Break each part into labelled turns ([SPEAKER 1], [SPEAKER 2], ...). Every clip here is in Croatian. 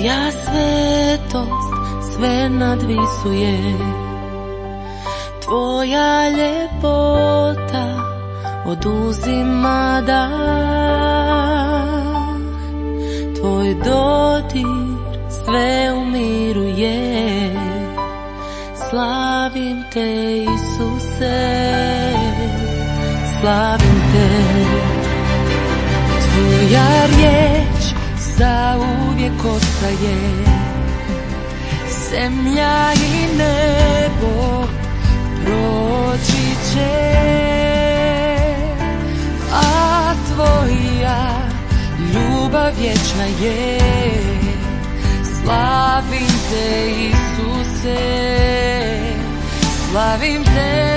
[SPEAKER 1] Tvoja svetost sve nadvisuje, tvoja ljepota oduzima dah, tvoj dodir sve umiruje. Slavim te, Isuse, slavim te. Tvoja riječ zauvijek ostaje, zemlja i nebo proći će, a tvoja ljubav vječna je. Slavim te, Isuse, slavim te.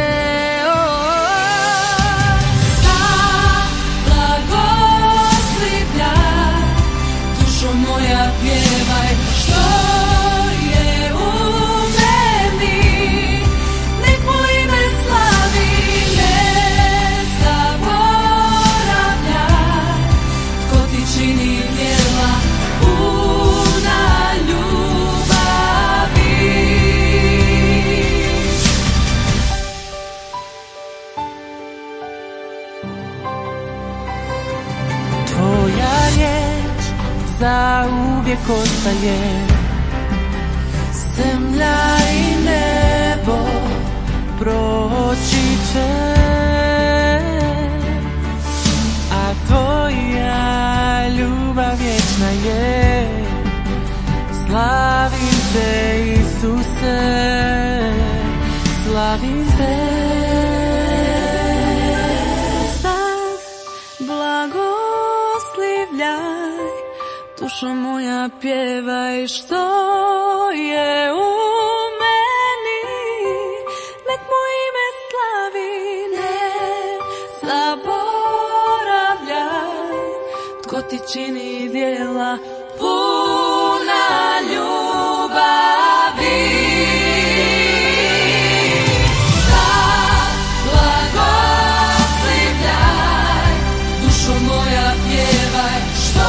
[SPEAKER 1] Moja pjevaj što je u meni, nek mu ime slavi, ne zaboravljaj, tko ti čini djela puna ljubavi. Tvoja riječ zauvijek ostaje, zemlja i nebo proći će, a tvoja ljubav vječna je. Slavim te, Isuse, slavim te. Sad blagoslivljaj, dušo moja pjevaj što je u meni, nek mu ime slavi, ne zaboravljaj, tko ti čini djela puna ljubavi. Sad blagoslivljaj, dušo moja pjevaj što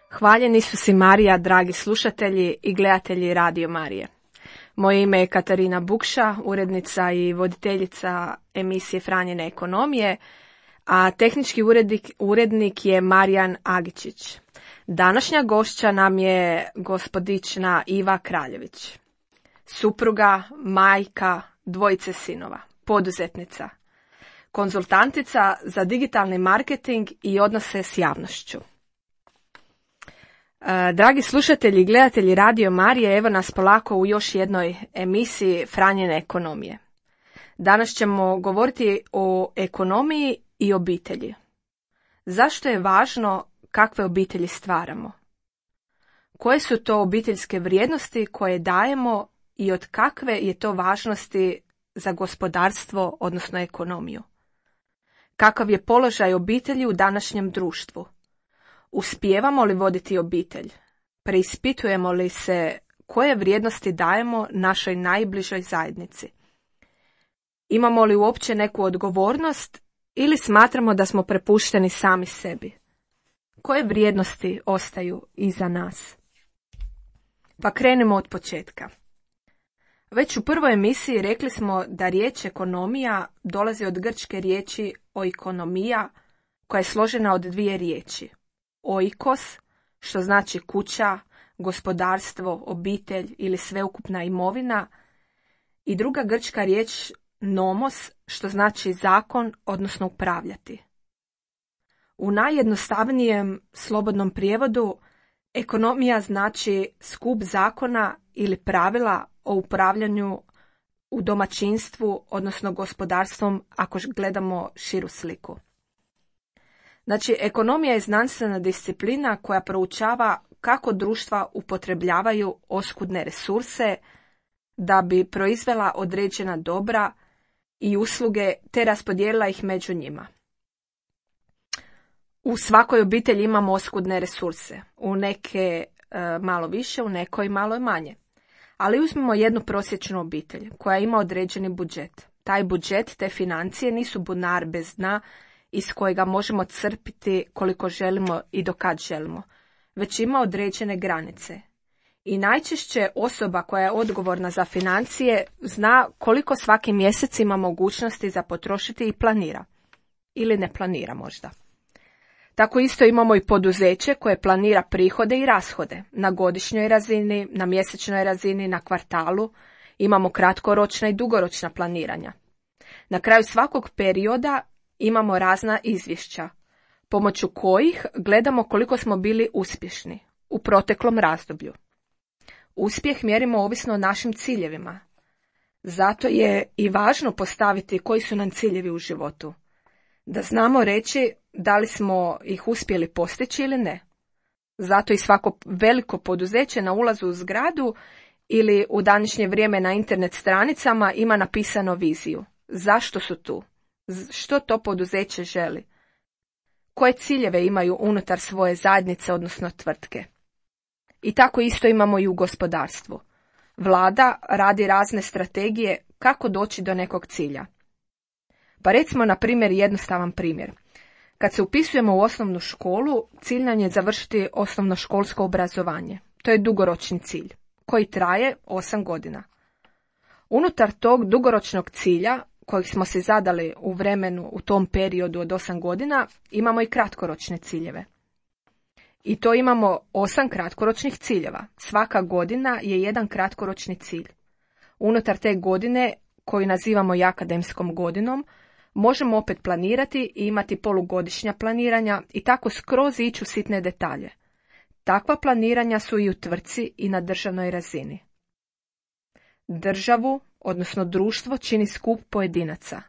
[SPEAKER 2] Hvaljeni su si Marija, dragi slušatelji i gledatelji Radio Marije. Moje ime je Katarina Bukša, urednica i voditeljica emisije Franjene ekonomije, a tehnički urednik je Marijan Agičić. Današnja gošća nam je gospodična Iva Kraljević, supruga, majka, dvojice sinova, poduzetnica, konzultantica za digitalni marketing i odnose s javnošću. Dragi slušatelji i gledatelji Radio Marije, evo nas polako u još jednoj emisiji Franjene ekonomije. Danas ćemo govoriti o ekonomiji i obitelji. Zašto je važno kakve obitelji stvaramo? Koje su to obiteljske vrijednosti koje dajemo i od kakve je to važnosti za gospodarstvo, odnosno ekonomiju? Kakav je položaj obitelji u današnjem društvu? Uspijevamo li voditi obitelj? Preispitujemo li se koje vrijednosti dajemo našoj najbližoj zajednici? Imamo li uopće neku odgovornost ili smatramo da smo prepušteni sami sebi? Koje vrijednosti ostaju iza nas? Pa krenemo od početka. Već u prvoj emisiji rekli smo da riječ ekonomija dolazi od grčke riječi oikonomija, koja je složena od dvije riječi. Oikos, što znači kuća, gospodarstvo, obitelj ili sveukupna imovina, i druga grčka riječ nomos, što znači zakon, odnosno upravljati. U najjednostavnijem slobodnom prijevodu ekonomija znači skup zakona ili pravila o upravljanju u domaćinstvu, odnosno gospodarstvom, ako gledamo širu sliku. Znači, ekonomija je znanstvena disciplina koja proučava kako društva upotrebljavaju oskudne resurse da bi proizvela određena dobra i usluge te raspodijelila ih među njima. U svakoj obitelji imamo oskudne resurse, u neke malo više, u nekoj malo manje. Ali uzmimo jednu prosječnu obitelj koja ima određeni budžet. Taj budžet, te financije nisu bunar bez dna iz kojega možemo crpiti koliko želimo i do kad želimo, već ima određene granice. I najčešće osoba koja je odgovorna za financije zna koliko svaki mjesec ima mogućnosti za potrošiti i planira. Ili ne planira možda. Tako isto imamo i poduzeće koje planira prihode i rashode na godišnjoj razini, na mjesečnoj razini, na kvartalu. Imamo kratkoročna i dugoročna planiranja. Na kraju svakog perioda imamo razna izvješća, pomoću kojih gledamo koliko smo bili uspješni u proteklom razdoblju. Uspjeh mjerimo ovisno o našim ciljevima. Zato je i važno postaviti koji su nam ciljevi u životu. Da znamo reći da li smo ih uspjeli postići ili ne. Zato i svako veliko poduzeće na ulazu u zgradu ili u današnje vrijeme na internet stranicama ima napisano viziju. Zašto su tu? Što to poduzeće želi? Koje ciljeve imaju unutar svoje zajednice, odnosno tvrtke? I tako isto imamo i u gospodarstvu. Vlada radi razne strategije kako doći do nekog cilja. Pa recimo, na primjer, jednostavan primjer. Kad se upisujemo u osnovnu školu, cilj nam je završiti osnovnoškolsko obrazovanje. To je dugoročni cilj, koji traje 8 godina. Unutar tog dugoročnog cilja, kojeg smo si zadali u vremenu u tom periodu od 8 godina, imamo i kratkoročne ciljeve. I to imamo 8 kratkoročnih ciljeva. Svaka godina je jedan kratkoročni cilj. Unutar te godine, koju nazivamo i akademskom godinom, možemo opet planirati i imati polugodišnja planiranja i tako skroz ići u sitne detalje. Takva planiranja su i u tvrtci i na državnoj razini. Državu, odnosno društvo, čini skup pojedinaca.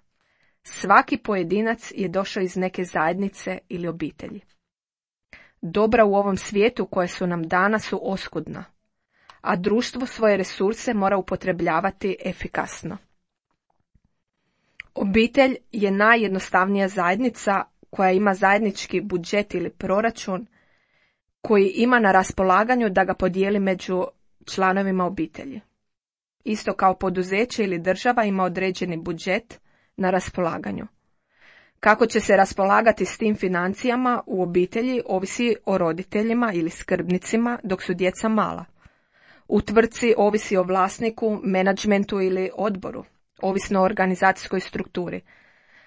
[SPEAKER 2] Svaki pojedinac je došao iz neke zajednice ili obitelji. Dobra u ovom svijetu koje su nam dana su oskudna, a društvo svoje resurse mora upotrebljavati efikasno. Obitelj je najjednostavnija zajednica koja ima zajednički budžet ili proračun koji ima na raspolaganju da ga podijeli među članovima obitelji. Isto kao poduzeće ili država ima određeni budžet na raspolaganju. Kako će se raspolagati s tim financijama u obitelji ovisi o roditeljima ili skrbnicima dok su djeca mala. U tvrtci ovisi o vlasniku, menadžmentu ili odboru, ovisno o organizacijskoj strukturi.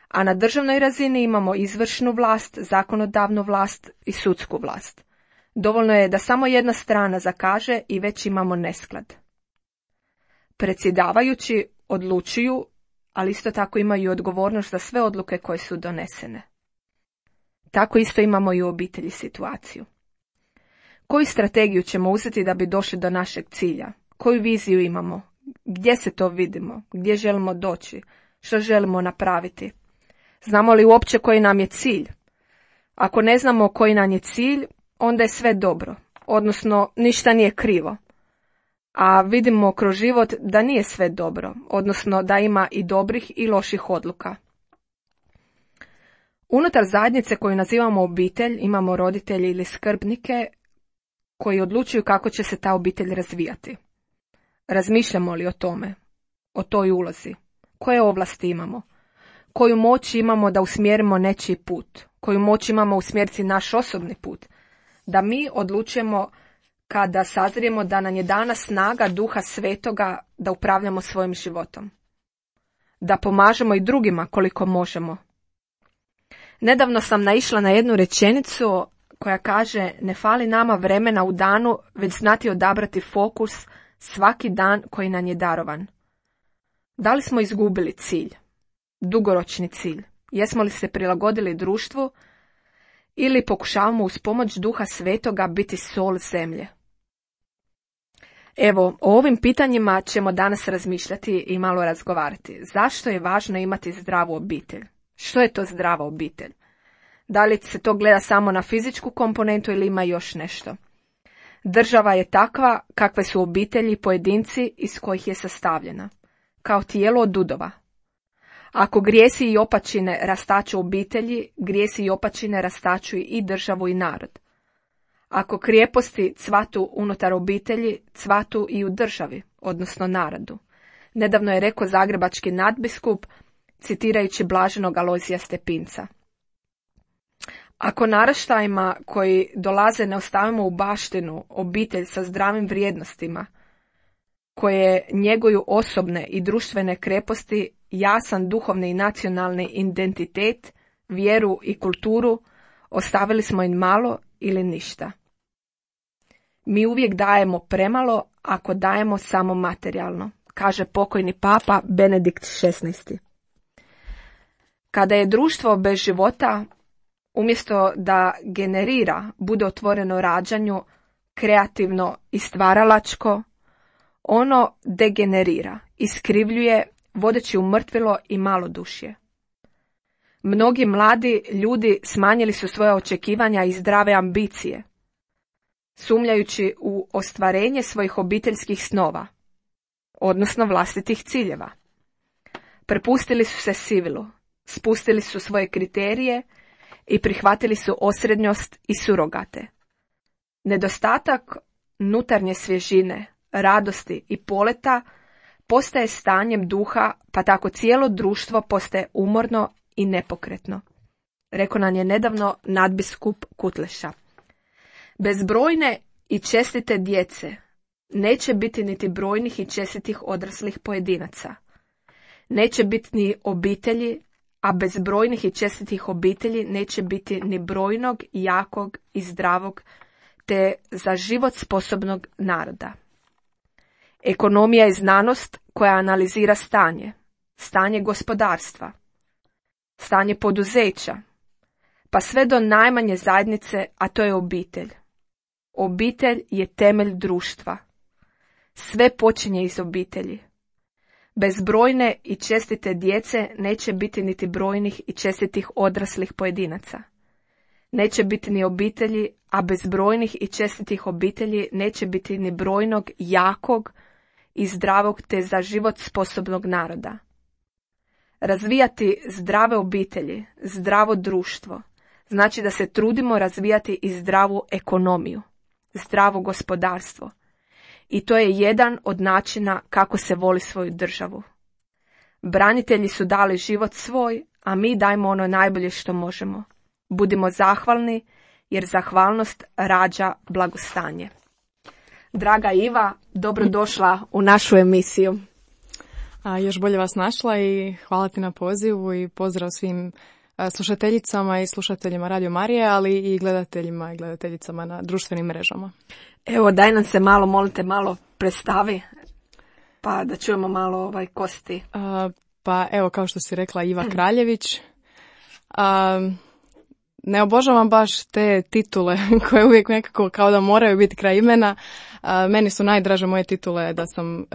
[SPEAKER 2] A na državnoj razini imamo izvršnu vlast, zakonodavnu vlast i sudsku vlast. Dovoljno je da samo jedna strana zakaže i već imamo nesklad. Predsjedavajući odlučuju, ali isto tako imaju i odgovornost za sve odluke koje su donesene. Tako isto imamo i u obitelji situaciju. Koju strategiju ćemo uzeti da bi došli do našeg cilja? Koju viziju imamo? Gdje se to vidimo? Gdje želimo doći? Što želimo napraviti? Znamo li uopće koji nam je cilj? Ako ne znamo koji nam je cilj, onda je sve dobro, odnosno ništa nije krivo. A vidimo kroz život da nije sve dobro, odnosno da ima i dobrih i loših odluka. Unutar zajednice koju nazivamo obitelj imamo roditelji ili skrbnike koji odlučuju kako će se ta obitelj razvijati. Razmišljamo li o tome, o toj ulozi? Koje ovlasti imamo? Koju moć imamo da usmjerimo nečiji put? Koju moć imamo usmjeriti naš osobni put? Da mi odlučujemo kada sazrijemo da nam je dana snaga Duha Svetoga da upravljamo svojim životom. Da pomažemo i drugima koliko možemo. Nedavno sam naišla na jednu rečenicu koja kaže: ne fali nama vremena u danu, već znati odabrati fokus svaki dan koji nam je darovan. Da li smo izgubili cilj? Dugoročni cilj? Jesmo li se prilagodili društvu ili pokušavamo uz pomoć Duha Svetoga biti sol zemlje? Evo, o ovim pitanjima ćemo danas razmišljati i malo razgovarati. Zašto je važno imati zdravu obitelj? Što je to zdrava obitelj? Da li se to gleda samo na fizičku komponentu ili ima još nešto? Država je takva kakve su obitelji i pojedinci iz kojih je sastavljena, kao tijelo od udova. Ako grijesi i opačine rastaču obitelji, grijesi i opačine rastaču i državu i narod. Ako krijeposti cvatu unutar obitelji, cvatu i u državi, odnosno narodu. Nedavno je rekao zagrebački nadbiskup, citirajući blaženog Alojzija Stepinca. Ako naraštajima koji dolaze ne ostavimo u baštinu obitelj sa zdravim vrijednostima, koje njeguju osobne i društvene kreposti, jasan duhovni i nacionalni identitet, vjeru i kulturu, ostavili smo im malo ili ništa. Mi uvijek dajemo premalo ako dajemo samo materijalno, kaže pokojni papa Benedikt XVI. Kada je društvo bez života, umjesto da generira, bude otvoreno rađanju, kreativno i stvaralačko, ono degenerira, iskrivljuje, vodeći u mrtvilo i malodušje. Mnogi mladi ljudi smanjili su svoja očekivanja i zdrave ambicije, sumnjajući u ostvarenje svojih obiteljskih snova, odnosno vlastitih ciljeva. Prepustili su se sivilu, spustili su svoje kriterije i prihvatili su osrednjost i surogate. Nedostatak unutarnje svježine, radosti i poleta postaje stanjem duha, pa tako cijelo društvo postaje umorno i nepokretno. Rekao nam je nedavno nadbiskup Kutleša. Bez brojne i čestite djece neće biti niti brojnih i čestitih odraslih pojedinaca. Neće biti ni obitelji, a bez brojnih i čestitih obitelji neće biti ni brojnog, jakog i zdravog, te za život sposobnog naroda. Ekonomija je znanost koja analizira stanje gospodarstva, stanje poduzeća, pa sve do najmanje zajednice, a to je obitelj. Obitelj je temelj društva. Sve počinje iz obitelji. Bez brojne i čestite djece neće biti niti brojnih i čestitih odraslih pojedinaca. Neće biti ni obitelji, a bez brojnih i čestitih obitelji neće biti ni brojnog, jakog i zdravog te za život sposobnog naroda. Razvijati zdrave obitelji, zdravo društvo, znači da se trudimo razvijati i zdravu ekonomiju, zdravo gospodarstvo. I to je jedan od načina kako se voli svoju državu. Branitelji su dali život svoj, a mi dajmo ono najbolje što možemo. Budimo zahvalni, jer zahvalnost rađa blagostanje. Draga Iva, dobrodošla u našu emisiju.
[SPEAKER 3] Još bolje vas našla i hvala ti na pozivu i pozdrav svim slušateljicama i slušateljima Radio Marije, ali i gledateljima i gledateljicama na društvenim mrežama.
[SPEAKER 2] Evo, daj nam se malo, molite, malo predstavi, pa da čujemo malo ko si ti.
[SPEAKER 3] Pa evo, kao što si rekla, Iva Kraljević. Ne obožavam baš te titule koje uvijek nekako kao da moraju biti kraj imena. Meni su najdraže moje titule da sam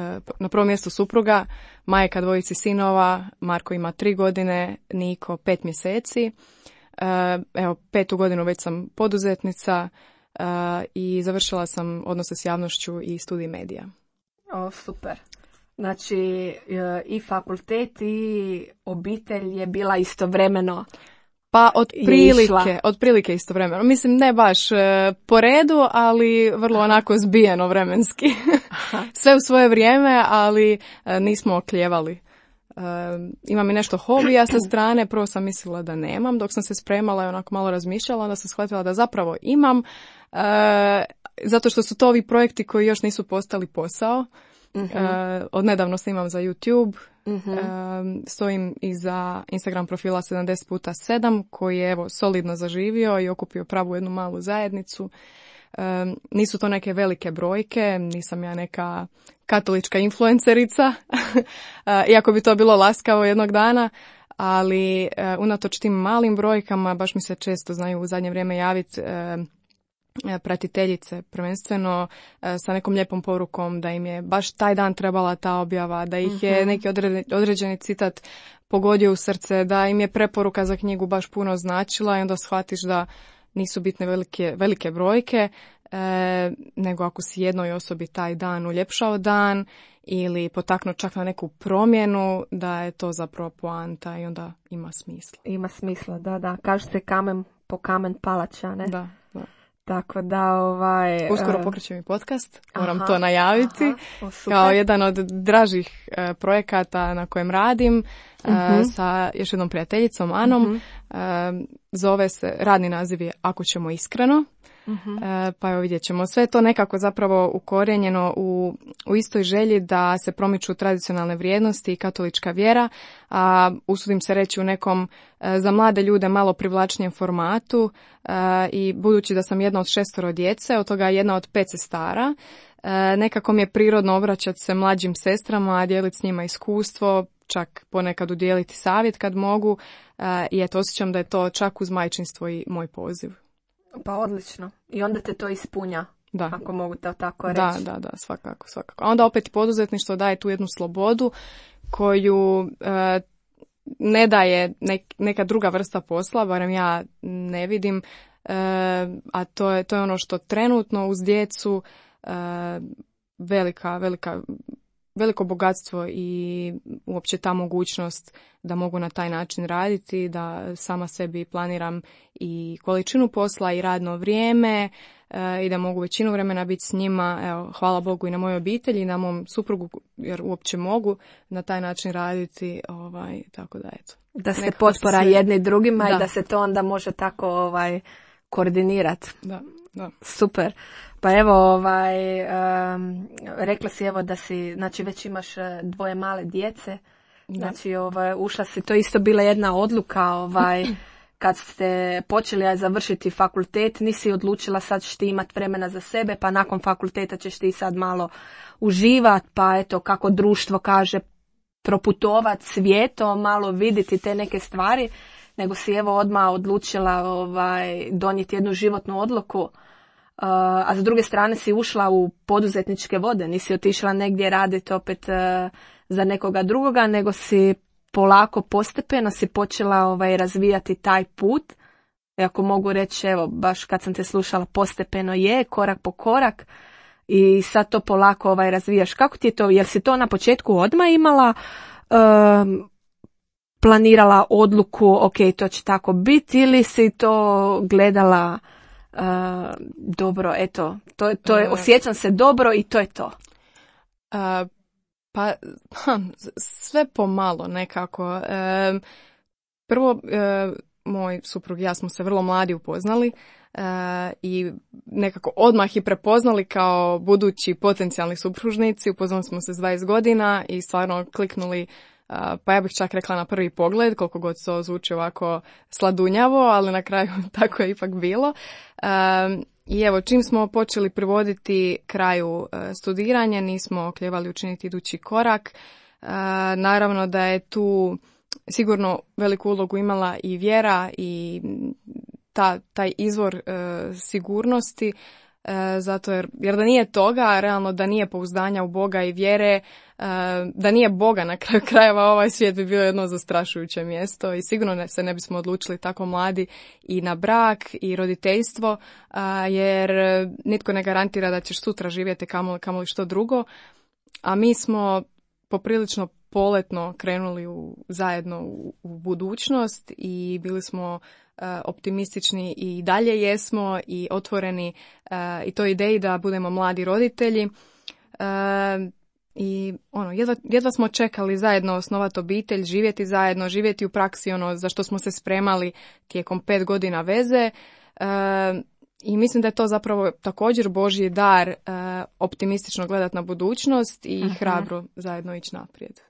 [SPEAKER 3] na prvom mjestu supruga, majka dvojici sinova, Marko ima 3 godine, Niko 5 mjeseci. Evo, 5. godinu već sam poduzetnica i završila sam odnose s javnošću i studij medija.
[SPEAKER 2] O, super. Znači, i fakultet i obitelj je bila istovremeno.
[SPEAKER 3] Pa otprilike istovremeno. Mislim, ne baš po redu, ali vrlo onako zbijeno vremenski. Sve u svoje vrijeme, ali nismo oklijevali. Imam i nešto hobija sa strane, prvo sam mislila da nemam, dok sam se spremala i onako malo razmišljala, onda sam shvatila da zapravo imam, zato što su to ovi projekti koji još nisu postali posao. Odnedavno snimam za YouTube, stojim iza Instagram profila 70x7 koji je evo solidno zaživio i okupio pravu jednu malu zajednicu. Nisu to neke velike brojke, nisam ja neka katolička influencerica, iako bi to bilo laskavo jednog dana, ali unatoč tim malim brojkama baš mi se često znaju u zadnje vrijeme javiti pratiteljice, prvenstveno sa nekom lijepom porukom da im je baš taj dan trebala ta objava, da ih je neki određeni citat pogodio u srce, da im je preporuka za knjigu baš puno značila i onda shvatiš da nisu bitne velike brojke, nego ako si jednoj osobi taj dan uljepšao dan ili potaknuo čak na neku promjenu, da je to zapravo poanta i onda ima smisla.
[SPEAKER 2] Ima smisla, da. Kaže se kamen po kamen palača, ne?
[SPEAKER 3] Da.
[SPEAKER 2] Tako da
[SPEAKER 3] uskoro pokrećem i podcast, moram to najaviti. Kao jedan od dražih projekata na kojem radim sa još jednom prijateljicom Anom. Zove se, radni naziv je Ako ćemo iskreno. Pa evo vidjet ćemo. Sve to nekako zapravo ukorijenjeno u istoj želji da se promiču tradicionalne vrijednosti i katolička vjera, a usudim se reći u nekom za mlade ljude malo privlačnijem formatu i budući da sam jedna od 6 djece, od toga jedna od 5 sestara, nekako mi je prirodno obraćati se mlađim sestrama, dijeliti s njima iskustvo, čak ponekad udijeliti savjet kad mogu i eto osjećam da je to čak uz majčinstvo i moj poziv.
[SPEAKER 2] Pa odlično. I onda te to ispunja, ako mogu to tako reći.
[SPEAKER 3] Da, svakako. A onda opet poduzetništvo daje tu jednu slobodu koju ne daje neka druga vrsta posla, barem ja ne vidim, a to je ono što trenutno uz djecu veliko bogatstvo i uopće ta mogućnost da mogu na taj način raditi, da sama sebi planiram i količinu posla i radno vrijeme i da mogu većinu vremena biti s njima. Evo, hvala Bogu i na mojoj obitelji i na mom suprugu, jer uopće mogu na taj način raditi, tako da eto.
[SPEAKER 2] Da se potpora jedni drugima i da se to onda može tako koordinirati.
[SPEAKER 3] Da.
[SPEAKER 2] Super. Pa evo, rekla si evo da si, znači već imaš 2 male djece, znači ušla si, to je isto bila jedna odluka, kad ste počeli završiti fakultet, nisi odlučila sad ćeš ti imati vremena za sebe, pa nakon fakulteta ćeš ti sad malo uživati, pa eto kako društvo kaže, proputovat svijetom, malo vidjeti te neke stvari, nego si evo odmah odlučila donijeti jednu životnu odluku. A s druge strane si ušla u poduzetničke vode, nisi otišla negdje raditi opet za nekoga drugoga, nego si polako, postepeno si počela razvijati taj put. I ako mogu reći, evo, baš kad sam te slušala, postepeno je, korak po korak i sad to polako razvijaš. Kako ti je to? Jel si to na početku odmah imala, planirala odluku, ok, to će tako biti, ili si to gledala dobro, eto, to je, osjećam se dobro i to je to.
[SPEAKER 3] Pa, sve pomalo nekako. Prvo, moj suprug i ja smo se vrlo mladi upoznali i nekako odmah i prepoznali kao budući potencijalni supružnici. Upoznali smo se s 20 godina i stvarno kliknuli, pa ja bih čak rekla na prvi pogled, koliko god to zvuči ovako sladunjavo, ali na kraju tako je ipak bilo. I evo, čim smo počeli privoditi kraju studiranja, nismo oklijevali učiniti idući korak. Naravno da je tu sigurno veliku ulogu imala i vjera i taj izvor sigurnosti, zato jer da nije toga, realno da nije pouzdanja u Boga i vjere, da nije Boga na kraju krajeva, ovaj svijet bi bio jedno zastrašujuće mjesto i sigurno se ne bismo odlučili tako mladi i na brak i roditeljstvo, jer nitko ne garantira da ćeš sutra živjeti kamoli što drugo, a mi smo poprilično poletno krenuli zajedno u budućnost i bili smo optimistični i dalje jesmo i otvoreni i toj ideji da budemo mladi roditelji. I jedva smo čekali zajedno osnovati obitelj, živjeti zajedno, živjeti u praksi za što smo se spremali tijekom 5 godina veze. I mislim da je to zapravo također Božji dar, optimistično gledati na budućnost i hrabro zajedno ići naprijed.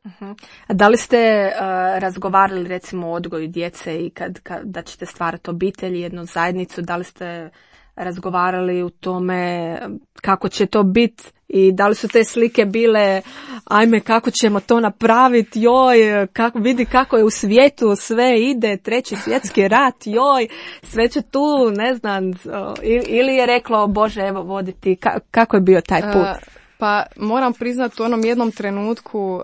[SPEAKER 2] A da li ste razgovarali recimo o odgoju djece i kad da ćete stvarati obitelj, jednu zajednicu, da li ste razgovarali u tome kako će to biti i da li su te slike bile ajme kako ćemo to napraviti, joj, vidi kako je u svijetu sve ide, 3. svjetski rat, joj, sve će tu, ne znam, ili je reklo Bože evo voditi, kako je bio taj put?
[SPEAKER 3] Pa moram priznati u onom jednom trenutku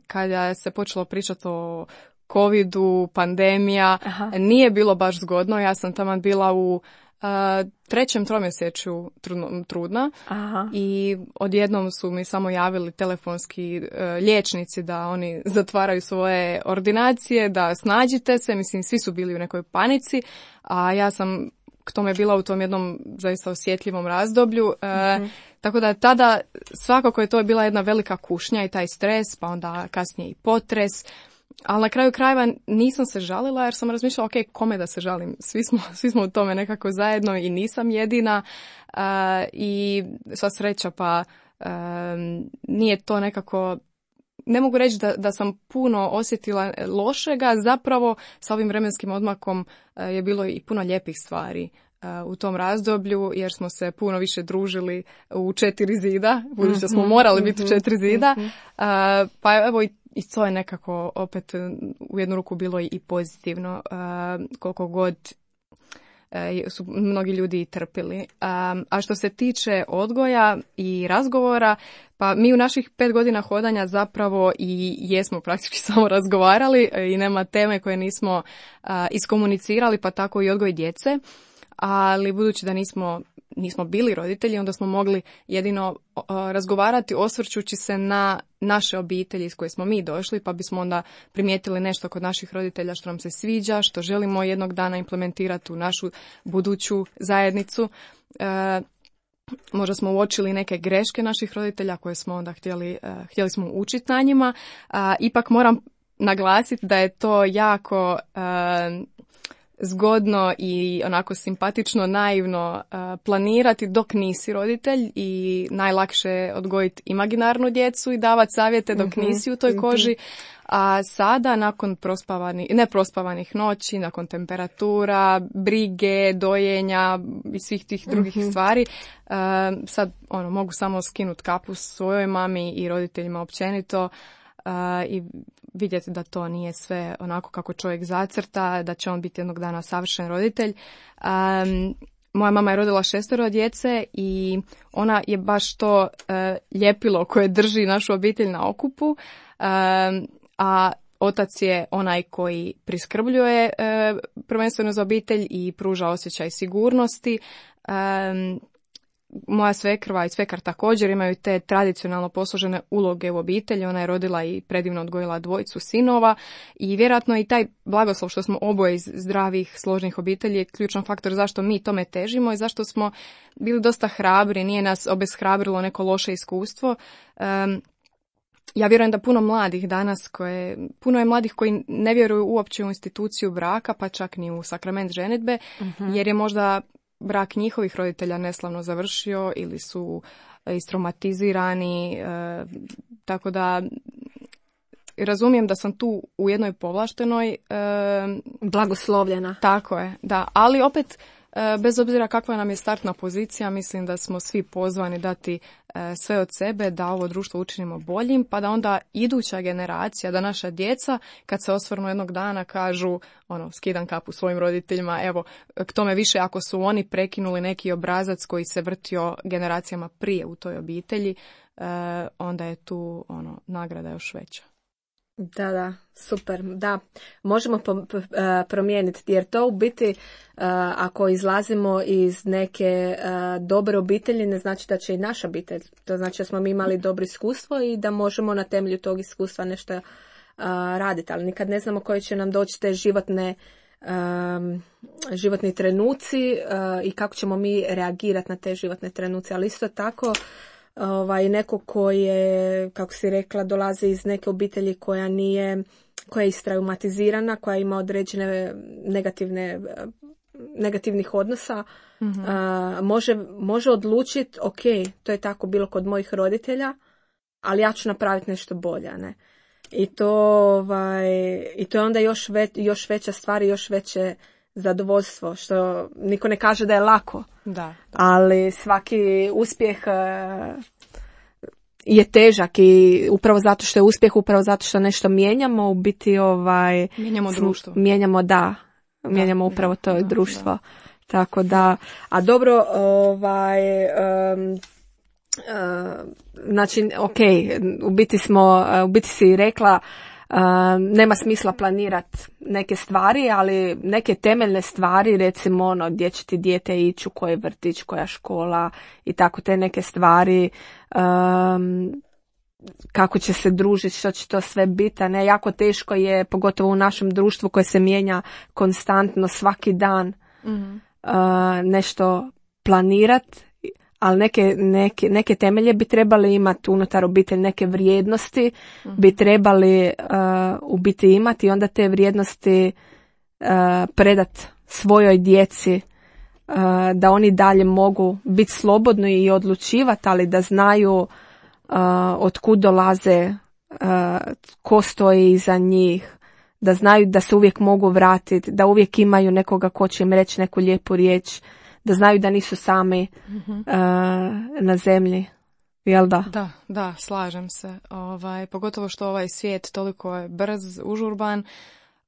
[SPEAKER 3] kada se počelo pričati o covidu, pandemija, nije bilo baš zgodno. Ja sam taman bila u 3. tromjesečju trudna. I odjednom su mi samo javili telefonski liječnici da oni zatvaraju svoje ordinacije, da snađite se, mislim svi su bili u nekoj panici, a ja sam k tome bila u tom jednom zaista osjetljivom razdoblju. Tako da tada svakako je to bila jedna velika kušnja i taj stres, pa onda kasnije i potres. Ali na kraju krajeva nisam se žalila jer sam razmišljala, ok, kome da se žalim? Svi smo u tome nekako zajedno i nisam jedina. I sva sreća, pa nije to nekako... Ne mogu reći da sam puno osjetila lošega, zapravo sa ovim vremenskim odmakom je bilo i puno lijepih stvari u tom razdoblju, jer smo se puno više družili u 4 zida, budući da smo morali biti u 4 zida, pa evo i to je nekako opet u jednu ruku bilo i pozitivno, koliko god su mnogi ljudi i trpili. A što se tiče odgoja i razgovora, pa mi u naših 5 godina hodanja zapravo i jesmo praktički samo razgovarali i nema teme koje nismo iskomunicirali, pa tako i odgoj djece. Ali budući da nismo bili roditelji, onda smo mogli jedino razgovarati osvrćući se na naše obitelji iz koje smo mi došli, pa bismo onda primijetili nešto kod naših roditelja što nam se sviđa, što želimo jednog dana implementirati u našu buduću zajednicu. Možda smo uočili neke greške naših roditelja koje smo onda htjeli smo učiti na njima. Ipak moram naglasiti da je to jako zgodno i onako simpatično, naivno planirati dok nisi roditelj i najlakše je odgojiti imaginarnu djecu i davati savjete dok nisi u toj koži. A sada, nakon neprospavanih noći, nakon temperatura, brige, dojenja i svih tih drugih stvari, sad mogu samo skinuti kapu svojoj mami i roditeljima općenito i vidjeti da to nije sve onako kako čovjek zacrta, da će on biti jednog dana savršen roditelj. Moja mama je rodila 6 djece i ona je baš to ljepilo koje drži našu obitelj na okupu, a otac je onaj koji priskrbljuje prvenstveno za obitelj i pruža osjećaj sigurnosti. Moja svekrva i svekar također imaju te tradicionalno posložene uloge u obitelji. Ona je rodila i predivno odgojila 2 sinova i vjerojatno i taj blagoslov što smo oboje iz zdravih, složnih obitelji je ključan faktor zašto mi tome težimo i zašto smo bili dosta hrabri, nije nas obeshrabrilo neko loše iskustvo. Ja vjerujem da puno mladih danas, puno je mladih koji ne vjeruju uopće u instituciju braka, pa čak ni u sakrament ženidbe, jer je možda brak njihovih roditelja neslavno završio ili su istraumatizirani, tako da razumijem da sam tu u jednoj povlaštenoj
[SPEAKER 2] blagoslovljena.
[SPEAKER 3] Tako je, da, ali opet bez obzira kakva nam je startna pozicija, mislim da smo svi pozvani dati sve od sebe da ovo društvo učinimo boljim, pa da onda iduća generacija, da naša djeca kad se osvrnu jednog dana kažu skidam kapu svojim roditeljima, evo k tome više ako su oni prekinuli neki obrazac koji se vrtio generacijama prije u toj obitelji, onda je tu nagrada još veća.
[SPEAKER 2] Da, super, da, možemo promijeniti, jer to u biti, ako izlazimo iz neke dobre obitelji, ne znači da će i naša obitelj, to znači da smo mi imali dobro iskustvo i da možemo na temelju tog iskustva nešto raditi, ali nikad ne znamo koje će nam doći te životni trenuci i kako ćemo mi reagirati na te životne trenuci, ali isto tako neko ko je, kako si rekla, dolazi iz neke obitelji koja je istraumatizirana, koja ima određene negativnih odnosa, može odlučiti, ok, to je tako bilo kod mojih roditelja, ali ja ću napraviti nešto bolje, ne? I to je onda još veća stvar i još veće zadovoljstvo, što niko ne kaže da je lako.
[SPEAKER 3] Da.
[SPEAKER 2] Ali svaki uspjeh je težak i upravo zato što je uspjeh, upravo zato što nešto mijenjamo, u biti
[SPEAKER 3] mijenjamo društvo.
[SPEAKER 2] Mijenjamo upravo to društvo. Da. Tako da, a dobro, znači, ok, u biti si rekla, nema smisla planirati neke stvari, ali neke temeljne stvari, recimo gdje će ti dijete ići, u koji vrtić, koja škola i tako te neke stvari, kako će se družiti, što će to sve biti, ne, jako teško je, pogotovo u našem društvu koje se mijenja konstantno svaki dan, nešto planirati, ali neke temelje bi trebali imati unutar obitelji, neke vrijednosti bi trebali u biti imati i onda te vrijednosti predat svojoj djeci, da oni dalje mogu biti slobodni i odlučivati, ali da znaju od kud dolaze, ko stoji iza njih, da znaju da se uvijek mogu vratiti, da uvijek imaju nekoga ko će im reći neku lijepu riječ, da znaju da nisu sami na zemlji. Jel da?
[SPEAKER 3] Da, slažem se. Pogotovo što ovaj svijet toliko je brz, užurban,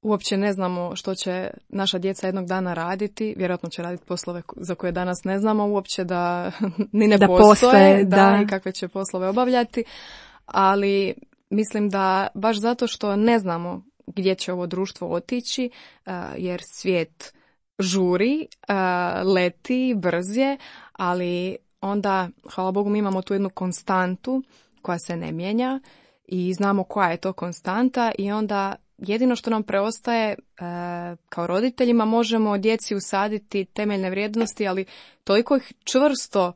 [SPEAKER 3] uopće ne znamo što će naša djeca jednog dana raditi, vjerojatno će raditi poslove za koje danas ne znamo uopće da ni ne postoje, i kakve će poslove obavljati, ali mislim da baš zato što ne znamo gdje će ovo društvo otići, jer svijet žuri, leti, brz je, ali onda, hvala Bogu, mi imamo tu jednu konstantu koja se ne mijenja i znamo koja je to konstanta i onda jedino što nam preostaje kao roditeljima, možemo djeci usaditi temeljne vrijednosti, ali toliko ih čvrsto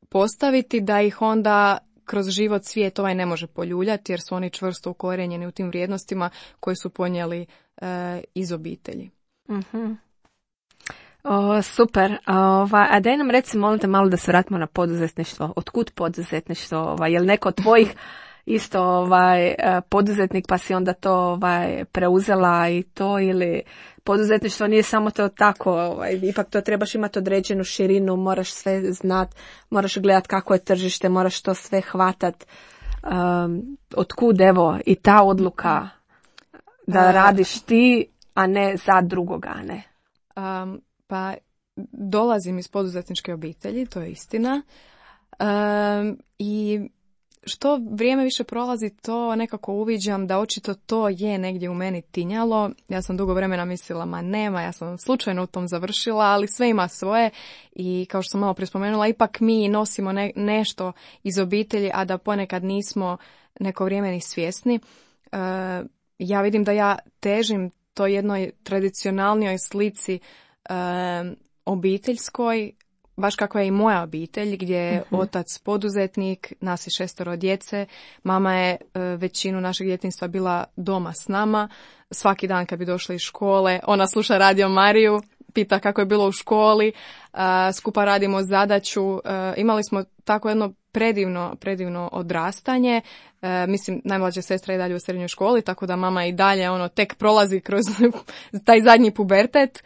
[SPEAKER 3] postaviti da ih onda kroz život svijet ne može poljuljati, jer su oni čvrsto ukorijenjeni u tim vrijednostima koje su ponijeli iz obitelji.
[SPEAKER 2] Mm-hmm. Super. A daj nam reci, molim te, malo da se vratimo na poduzetništvo. Otkud poduzetništvo? Je li neko od tvojih isto poduzetnik pa si onda to preuzela i to, ili poduzetništvo nije samo to tako, ipak to trebaš imati određenu širinu, moraš sve znat, moraš gledat kako je tržište, moraš to sve hvatat. Otkud evo i ta odluka da radiš ti, a ne za drugoga, ne?
[SPEAKER 3] Pa dolazim iz poduzetničke obitelji, to je istina. I što vrijeme više prolazi, to nekako uviđam da očito to je negdje u meni tinjalo. Ja sam dugo vremena mislila, ma nema, ja sam slučajno u tom završila, ali sve ima svoje i kao što sam malo prije spomenula, ipak mi nosimo nešto iz obitelji, a da ponekad nismo neko vrijeme ni svjesni. Ja vidim da ja težim to jednoj tradicionalnijoj slici obiteljskoj, baš kako je i moja obitelj, gdje je otac poduzetnik, nas je 6 djece, mama je većinu našeg djetinjstva bila doma s nama, svaki dan kad bi došla iz škole, ona sluša Radio Mariju, pita kako je bilo u školi, skupa radimo zadaću, imali smo tako jedno predivno odrastanje. Mislim, najmlađa sestra je dalje u srednjoj školi, tako da mama i dalje tek prolazi kroz taj zadnji pubertet.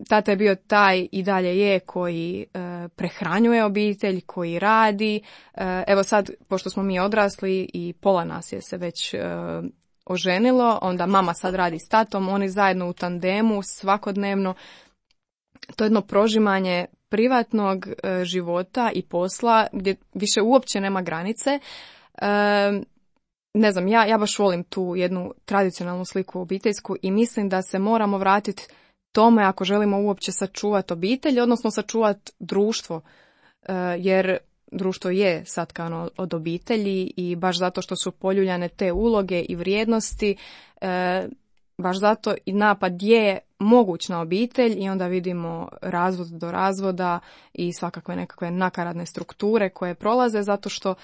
[SPEAKER 3] Tata je bio taj i dalje je koji prehranjuje obitelj, koji radi. Evo sad, pošto smo mi odrasli i pola nas je se već oženilo, onda mama sad radi s tatom, oni zajedno u tandemu svakodnevno. To je jedno prožimanje privatnog života i posla gdje više uopće nema granice. Ne znam, ja baš volim tu jednu tradicionalnu sliku obiteljsku i mislim da se moramo vratiti tome ako želimo uopće sačuvati obitelj, odnosno sačuvati društvo, jer društvo je satkano od obitelji i baš zato što su poljuljane te uloge i vrijednosti, baš zato i napad je moguć na obitelj i onda vidimo razvod do razvoda i svakakve nekakve nakaradne strukture koje prolaze zato što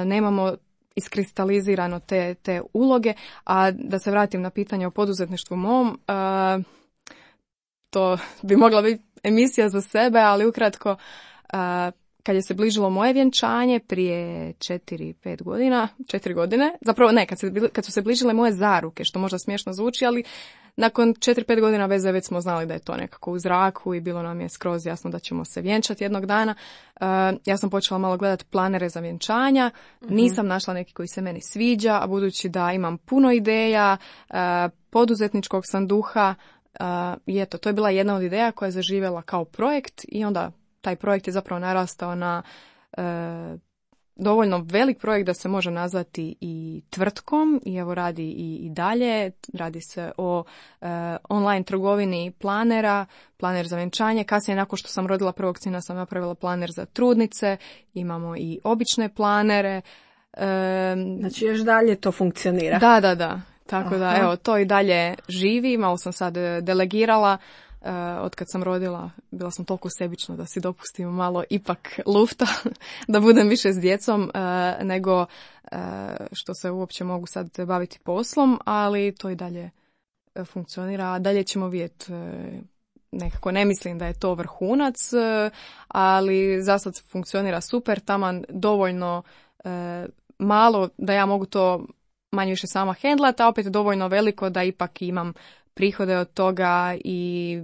[SPEAKER 3] nemamo iskristalizirano te uloge. A da se vratim na pitanje o poduzetništvu mom, to bi mogla biti emisija za sebe, ali ukratko kad je se bližilo moje vjenčanje prije 4 godine, zapravo ne, kad su se bližile moje zaruke, što možda smiješno zvuči, ali nakon 4-5 godina veze već smo znali da je to nekako u zraku i bilo nam je skroz jasno da ćemo se vjenčati jednog dana. Ja sam počela malo gledati planere za vjenčanja, nisam našla neki koji se meni sviđa, a budući da imam puno ideja, poduzetničkog sam duha, i eto, to je bila jedna od ideja koja je zaživjela kao projekt i onda taj projekt je zapravo narastao na dovoljno velik projekt da se može nazvati i tvrtkom i evo radi i dalje. Radi se o online trgovini planera, planer za vjenčanje. Kasnije, nakon što sam rodila prvog sina, sam napravila planer za trudnice. Imamo i obične planere.
[SPEAKER 2] Znači još dalje to funkcionira.
[SPEAKER 3] Da. Tako da, evo, to i dalje živi. Malo sam sad delegirala. Od kad sam rodila, bila sam toliko sebična da si dopustim malo ipak lufta, da budem više s djecom nego što se uopće mogu sad baviti poslom, ali to i dalje funkcionira. A dalje ćemo vidjeti, nekako ne mislim da je to vrhunac, ali za sad funkcionira super, taman dovoljno malo da ja mogu to manje više sama hendlati, a opet dovoljno veliko da ipak imam prihode od toga i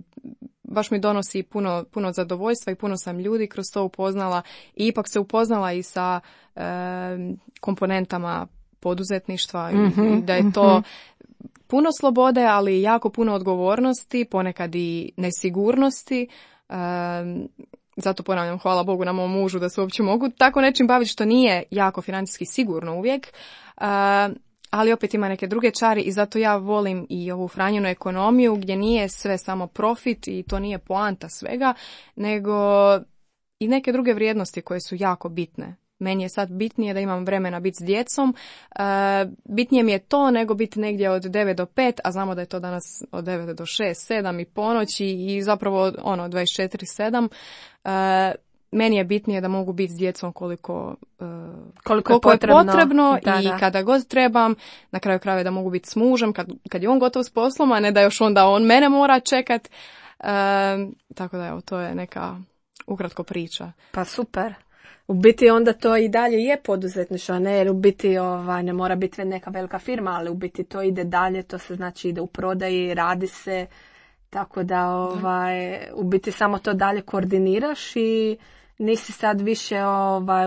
[SPEAKER 3] baš mi donosi puno zadovoljstva i puno sam ljudi kroz to upoznala i ipak se upoznala i sa komponentama poduzetništva i da je to puno slobode, ali jako puno odgovornosti, ponekad i nesigurnosti. Zato ponavljam, hvala Bogu na mom mužu da se uopće mogu tako nečim baviti što nije jako financijski sigurno uvijek. Ali opet ima neke druge čari i zato ja volim i ovu Franjinu ekonomiju gdje nije sve samo profit i to nije poanta svega, nego i neke druge vrijednosti koje su jako bitne. Meni je sad bitnije da imam vremena biti s djecom, bitnije mi je to nego biti negdje od 9 do 5, a znamo da je to danas od 9 do 6, 7 i ponoći i zapravo 24/7. Meni je bitnije da mogu biti s djecom koliko je potrebno i kada god trebam. Na kraju krajeva da mogu biti s mužem kad je on gotov s poslom, a ne da još onda on mene mora čekat. Tako da evo, to je neka ukratko priča.
[SPEAKER 2] Pa super. U biti onda to i dalje je poduzetništvo, ne, jer u biti ne mora biti neka velika firma, ali u biti to ide dalje, to se znači ide u prodaji, radi se, tako da u biti samo to dalje koordiniraš i nisi sad više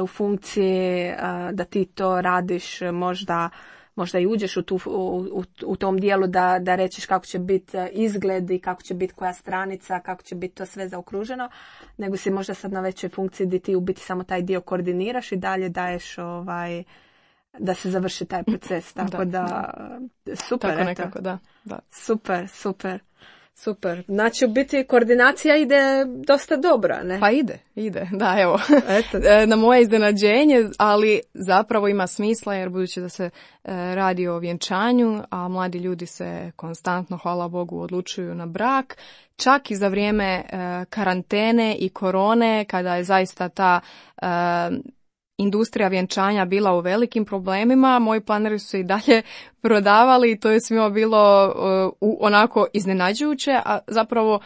[SPEAKER 2] u funkciji da ti to radiš, možda i uđeš u tom dijelu da rećeš kako će biti izgled i kako će biti koja stranica, kako će biti to sve zaokruženo, nego si možda sad na većoj funkciji gdje ti u biti samo taj dio koordiniraš i dalje daješ da se završi taj proces. Tako da super.
[SPEAKER 3] Tako nekako, da.
[SPEAKER 2] Super. Znači, u biti koordinacija ide dosta dobro, ne?
[SPEAKER 3] Pa ide. Da, evo. Na moje iznenađenje, ali zapravo ima smisla jer budući da se radi o vjenčanju, a mladi ljudi se konstantno, hvala Bogu, odlučuju na brak, čak i za vrijeme karantene i korone, kada je zaista ta industrija vjenčanja bila u velikim problemima, moji planeri su se i dalje prodavali i to je svima bilo onako iznenađujuće, a zapravo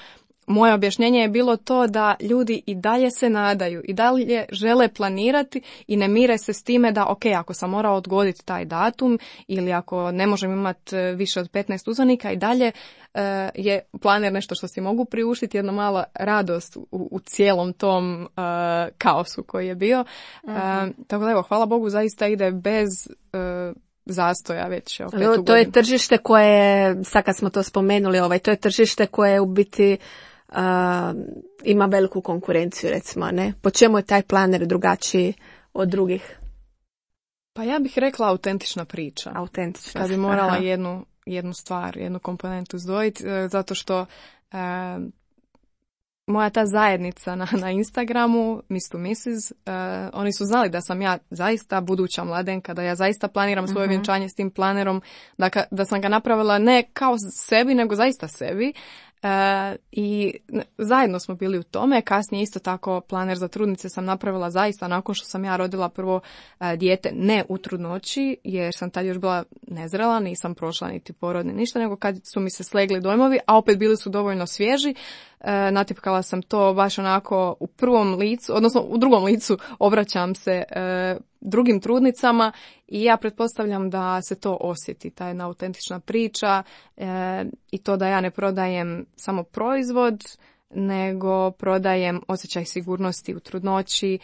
[SPEAKER 3] moje objašnjenje je bilo to da ljudi i dalje se nadaju, i dalje žele planirati i ne mire se s time da ok, ako sam morao odgoditi taj datum ili ako ne možem imati više od 15 uzvanika, i dalje je planer nešto što si mogu priuštiti, jedna mala radost u cijelom tom kaosu koji je bio. Tako da evo, hvala Bogu, zaista ide bez zastoja već.
[SPEAKER 2] To je tržište koje, sad kad smo to spomenuli, to je tržište koje u biti ima veliku konkurenciju, recimo, ne? Po čemu je taj planer drugačiji od drugih?
[SPEAKER 3] Pa ja bih rekla autentična priča.
[SPEAKER 2] Autentična.
[SPEAKER 3] Kad bi morala jednu stvar, jednu komponentu izdvojiti, zato što moja ta zajednica na Instagramu, Miss to Mrs., oni su znali da sam ja zaista buduća mladenka, da ja zaista planiram svoje vjenčanje s tim planerom, da sam ga napravila ne kao sebi, nego zaista sebi. I zajedno smo bili u tome. Kasnije isto tako planer za trudnice sam napravila zaista nakon što sam ja rodila prvo dijete, ne u trudnoći, jer sam tad još bila nezrela, nisam prošla niti porod ni ništa, nego kad su mi se slegli dojmovi, a opet bili su dovoljno svježi. Natipkala sam to baš onako u prvom licu, odnosno u drugom licu obraćam se drugim trudnicama i ja pretpostavljam da se to osjeti, ta jedna autentična priča i to da ja ne prodajem samo proizvod, nego prodajem osjećaj sigurnosti u trudnoći,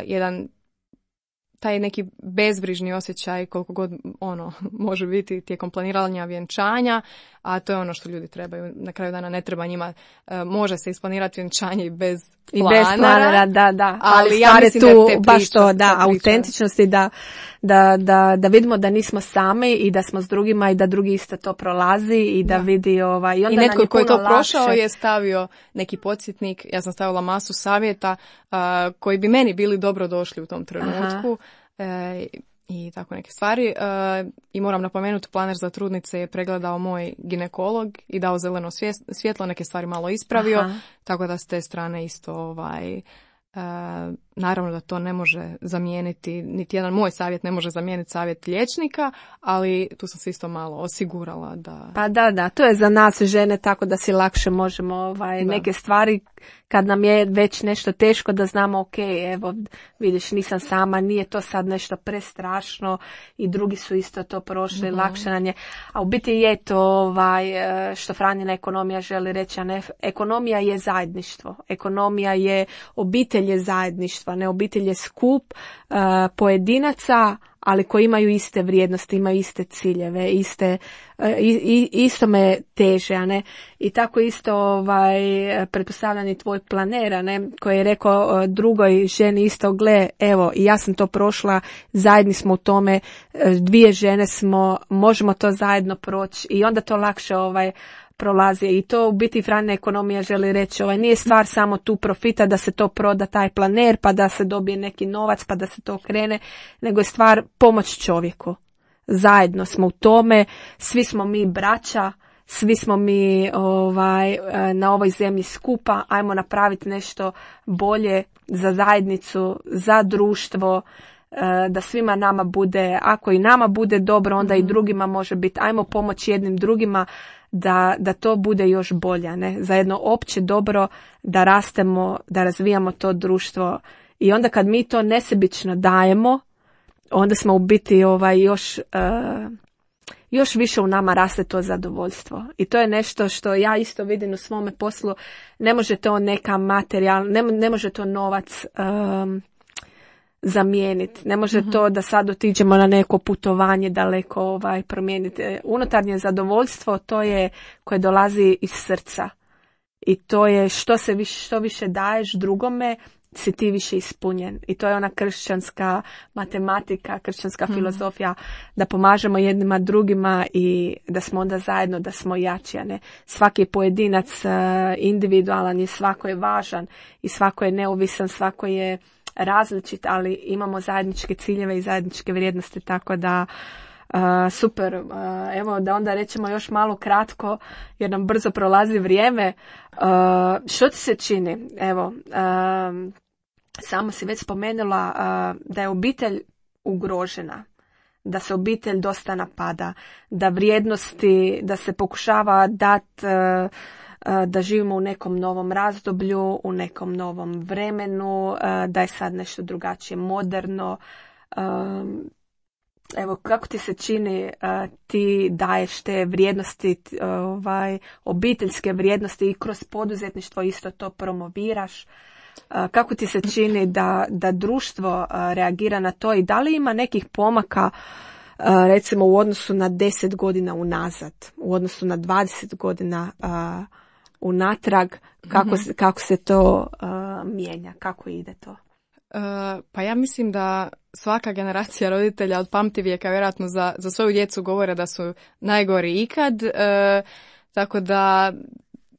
[SPEAKER 3] jedan taj neki bezbrižni osjećaj koliko god može biti tijekom planiranja vjenčanja, a to je ono što ljudi trebaju. Na kraju dana ne treba njima, može se isplanirati vjenčanje i bez planera.
[SPEAKER 2] I bez planera, da.
[SPEAKER 3] Ali ja mislim
[SPEAKER 2] tu
[SPEAKER 3] da je te
[SPEAKER 2] baš to,
[SPEAKER 3] priča.
[SPEAKER 2] autentičnosti, da vidimo da nismo sami i da smo s drugima i da drugi isto to prolazi i da vidi i onda
[SPEAKER 3] i netko koji je to prošao je stavio neki podsjetnik, ja sam stavila masu savjeta koji bi meni bili dobro došli u tom trenutku. I tako neke stvari. I moram napomenuti, planer za trudnice je pregledao moj ginekolog i dao zeleno svjetlo, neke stvari malo ispravio, tako da s te strane isto naravno da to ne može zamijeniti, niti jedan moj savjet ne može zamijeniti savjet liječnika, ali tu sam se isto malo osigurala da...
[SPEAKER 2] Pa da, to je za nas žene tako da si lakše možemo neke stvari kad nam je već nešto teško da znamo ok, evo vidiš nisam sama, nije to sad nešto prestrašno i drugi su isto to prošli, lakše nam je. A u biti je to što Franjina ekonomija želi reći, a ne, ekonomija je zajedništvo, ekonomija je, obitelj je zajedništva, ne, obitelj je skup pojedinaca, ali koji imaju iste vrijednosti, imaju iste ciljeve, isto me teže, a ne? I tako isto pretpostavljani tvoj planer, a ne, koji je rekao drugoj ženi isto, gle, evo, i ja sam to prošla, zajedni smo u tome, dvije žene smo, možemo to zajedno proći i onda to lakše prolazi. I to u biti Franjina ekonomija želi reći, nije stvar samo tu profita da se to proda taj planer, pa da se dobije neki novac, pa da se to krene, nego je stvar pomoć čovjeku. Zajedno smo u tome, svi smo mi braća, svi smo mi na ovoj zemlji skupa, ajmo napraviti nešto bolje za zajednicu, za društvo, da svima nama bude, ako i nama bude dobro, onda i drugima može biti, ajmo pomoći jednim drugima da to bude još bolje, ne? Za jedno opće dobro, da rastemo, da razvijamo to društvo i onda kad mi to nesebično dajemo, onda smo u biti još više u nama raste to zadovoljstvo. I to je nešto što ja isto vidim u svome poslu, ne može to neka materijal, ne može to novac zamijeniti. Ne može to da sad otiđemo na neko putovanje daleko promijeniti. Unutarnje zadovoljstvo, to je koje dolazi iz srca. I to je što više daješ drugome, si ti više ispunjen. I to je ona kršćanska matematika, kršćanska filozofija, da pomažemo jednima drugima i da smo onda zajedno, da smo jači. Ne? Svaki pojedinac individualan je, svako je važan i svako je neovisan, svako je različit, ali imamo zajedničke ciljeve i zajedničke vrijednosti, tako da super. Evo da onda rećemo još malo kratko, jer nam brzo prolazi vrijeme. Što ti se čini? Evo, samo si već spomenula da je obitelj ugrožena, da se obitelj dosta napada, da vrijednosti, da se pokušava dati da živimo u nekom novom razdoblju, u nekom novom vremenu, da je sad nešto drugačije moderno. Evo, kako ti se čini, ti daješ te vrijednosti, obiteljske vrijednosti i kroz poduzetništvo isto to promoviraš. Kako ti se čini da društvo reagira na to i da li ima nekih pomaka, recimo u odnosu na 10 godina unazad, u odnosu na 20 godina unatrag, kako se to mijenja, kako ide to?
[SPEAKER 3] Pa ja mislim da svaka generacija roditelja od pamtivijeka vjerojatno za svoju djecu govore da su najgori ikad, tako da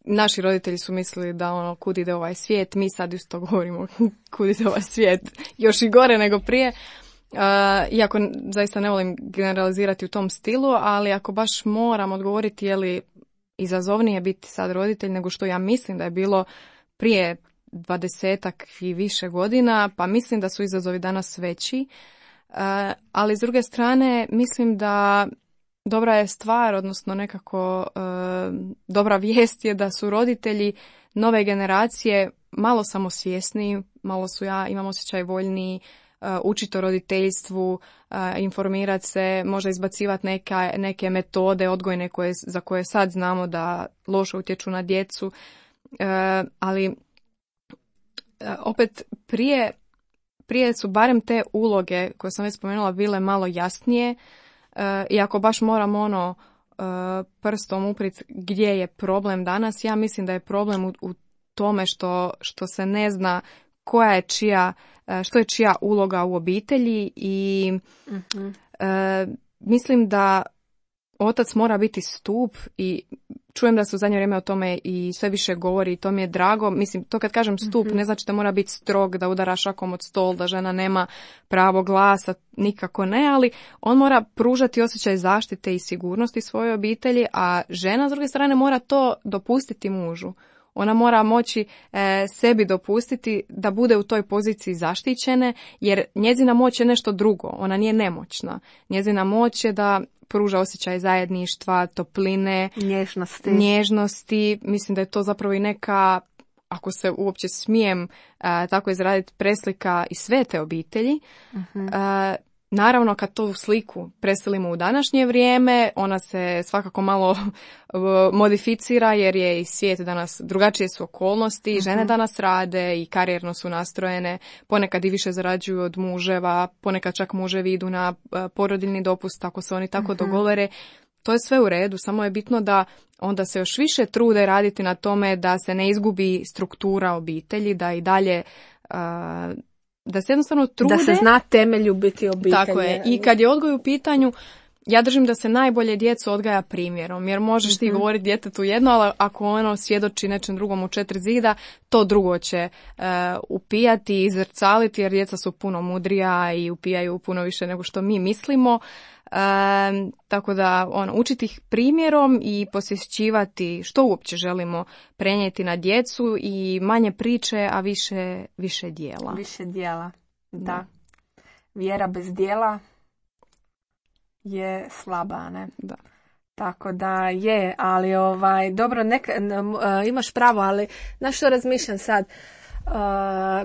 [SPEAKER 3] naši roditelji su mislili da kud ide ovaj svijet, mi sad isto govorimo kud ide ovaj svijet, još i gore nego prije. Iako zaista ne volim generalizirati u tom stilu, ali ako baš moram odgovoriti je li izazovnije biti sad roditelj nego što ja mislim da je bilo prije 20-ak i više godina, pa mislim da su izazovi danas veći. Ali s druge strane mislim da dobra je stvar, odnosno nekako dobra vijest je da su roditelji nove generacije malo samosvjesniji, malo su, ja imam osjećaj, voljniji učiti o roditeljstvu, informirati se, možda izbacivati neke metode odgojne za koje sad znamo da loše utječu na djecu, ali opet prije su barem te uloge koje sam već spomenula bile malo jasnije, i ako baš moram prstom uprit gdje je problem danas, ja mislim da je problem u tome što se ne zna koja je što je čija uloga u obitelji i mislim da otac mora biti stup i čujem da se u zadnje vrijeme o tome i sve više govori i to mi je drago. Mislim, to kad kažem stup ne znači da mora biti strog, da udara šakom od stol, da žena nema pravo glasa, nikako ne, ali on mora pružati osjećaj zaštite i sigurnosti svojoj obitelji, a žena s druge strane mora to dopustiti mužu. Ona mora moći sebi dopustiti da bude u toj poziciji zaštićene, jer njezina moć je nešto drugo, ona nije nemoćna. Njezina moć je da pruža osjećaj zajedništva, topline, nježnosti. Mislim da je to zapravo i neka, ako se uopće smijem tako izraditi, preslika i sve te obitelji. Naravno, kad tu sliku preselimo u današnje vrijeme, ona se svakako malo modificira jer je i svijet danas, drugačije su okolnosti, žene danas rade i karijerno su nastrojene, ponekad i više zarađuju od muževa, ponekad čak muževi idu na porodiljni dopust ako se oni tako dogovore. To je sve u redu, samo je bitno da onda se još više trude raditi na tome da se ne izgubi struktura obitelji, da i dalje da se jednostavno trude.
[SPEAKER 2] Da se zna temelju biti obitelji.
[SPEAKER 3] Tako je. I kad je odgoj u pitanju, ja držim da se najbolje djecu odgaja primjerom, jer možeš ti govoriti djetetu jedno, ali ako ono svjedoči nečem drugom u 4 zida, to drugo će upijati i izrcaliti, jer djeca su puno mudrija i upijaju puno više nego što mi mislimo. Tako da učiti ih primjerom i posjećivati što uopće želimo prenijeti na djecu i manje priče, a više dijela.
[SPEAKER 2] Više dijela, da. Vjera bez dijela je slaba, ne?
[SPEAKER 3] Da.
[SPEAKER 2] Tako da je, ali dobro, imaš pravo, ali na što razmišljam sad?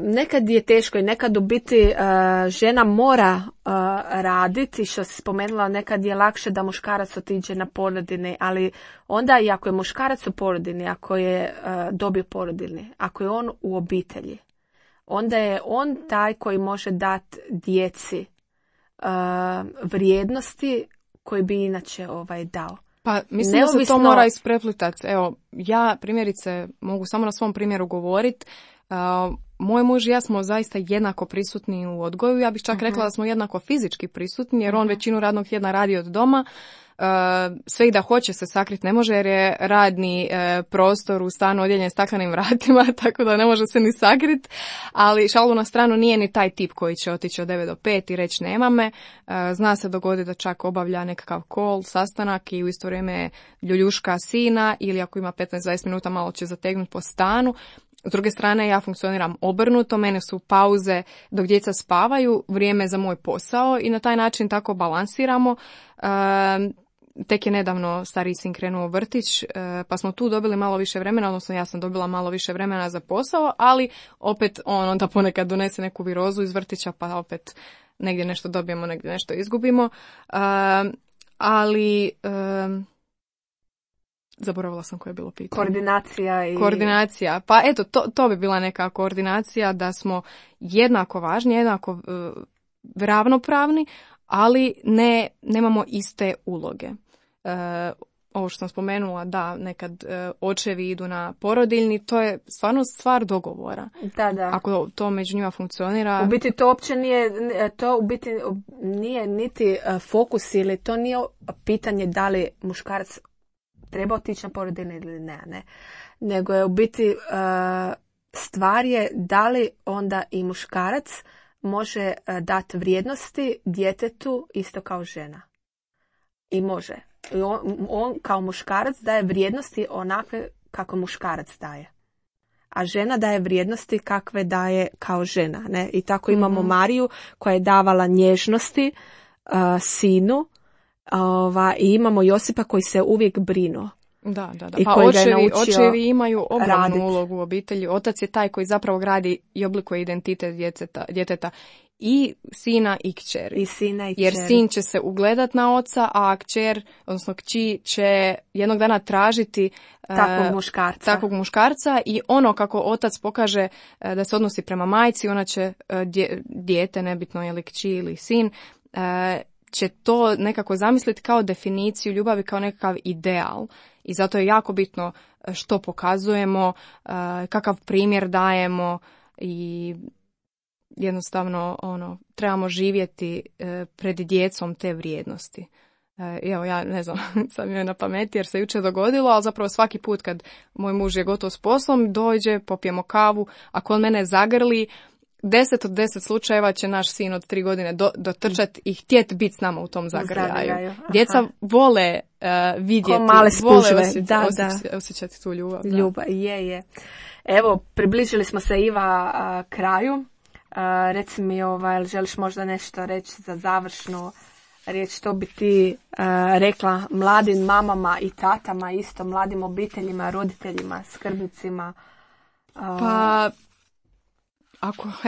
[SPEAKER 2] Nekad je teško i nekad u biti žena mora raditi, što si spomenula, nekad je lakše da muškarac otiđe na porodiljni, ali onda i ako je muškarac u porodiljni, ako je dobio porodiljni, ako je on u obitelji, onda je on taj koji može dati djeci vrijednosti koji bi inače dao.
[SPEAKER 3] Pa mislim da se to mora ispreplitati. Evo, ja primjerice mogu samo na svom primjeru govoriti. Moj muž i ja smo zaista jednako prisutni u odgoju. Ja bih čak rekla da smo jednako fizički prisutni, jer on većinu radnog tjedna radi od doma. Sve i da hoće se sakriti ne može, jer je radni prostor u stanu odjeljen staklenim vratima, tako da ne može se ni sakriti. Ali šalu na stranu, nije ni taj tip koji će otići od 9 do 5 i reći nema me. Zna se dogoditi da čak obavlja nekakav call, sastanak i u isto vrijeme ljuljuška sina, ili ako ima 15-20 minuta malo će zategnuti po stanu. S druge strane, ja funkcioniram obrnuto, mene su pauze dok djeca spavaju, vrijeme za moj posao i na taj način tako balansiramo. Tek je nedavno stariji sin krenuo u vrtić, pa smo tu dobili malo više vremena, odnosno ja sam dobila malo više vremena za posao, ali opet on onda ponekad donese neku virozu iz vrtića, pa opet negdje nešto dobijemo, negdje nešto izgubimo. Zaboravila sam koje je bilo pitanje. Koordinacija. Pa eto, to bi bila neka koordinacija, da smo jednako važni, jednako ravnopravni, ali nemamo iste uloge. Ovo što sam spomenula, da, nekad očevi idu na porodiljni, to je stvarno stvar dogovora.
[SPEAKER 2] Da.
[SPEAKER 3] Ako to među njima funkcionira.
[SPEAKER 2] U biti to uopće nije niti fokus, ili to nije pitanje da li muškarac treba otići na porodiljni ili ne. Nego je u biti stvar je da li onda i muškarac može dati vrijednosti djetetu isto kao žena. I može. I on kao muškarac daje vrijednosti onakve kako muškarac daje. A žena daje vrijednosti kakve daje kao žena. Ne? I tako imamo Mariju koja je davala nježnosti sinu i imamo Josipa koji se uvijek brinuo.
[SPEAKER 3] Da.
[SPEAKER 2] I
[SPEAKER 3] Pa očevi imaju ogromnu ulogu u obitelji. Otac je taj koji zapravo gradi i oblikuje identitet djeteta. I sina i kćeri. Jer sin će se ugledat na oca, a kćer, odnosno kći, će jednog dana tražiti takvog muškarca i ono kako otac pokaže da se odnosi prema majci, ona će dijete, nebitno je li kći ili sin, će to nekako zamisliti kao definiciju ljubavi, kao nekakav ideal. I zato je jako bitno što pokazujemo, kakav primjer dajemo i jednostavno trebamo živjeti pred djecom te vrijednosti. Evo, ja ne znam, sad mi je na pameti jer se jučer dogodilo, ali zapravo svaki put kad moj muž je gotov s poslom, dođe, popijemo kavu, ako on mene zagrli, 10 od 10 slučajeva će naš sin od 3 godine dotrčati i htjeti biti s nama u tom zagrljaju. Djeca vole vidjeti, vole osjećati tu ljubav.
[SPEAKER 2] Ljubav, je. Evo, približili smo se, Iva, kraju. Reci mi, želiš možda nešto reći za završnu riječ, što bi ti rekla mladim mamama i tatama, isto mladim obiteljima, roditeljima, skrbnicima?
[SPEAKER 3] Pa,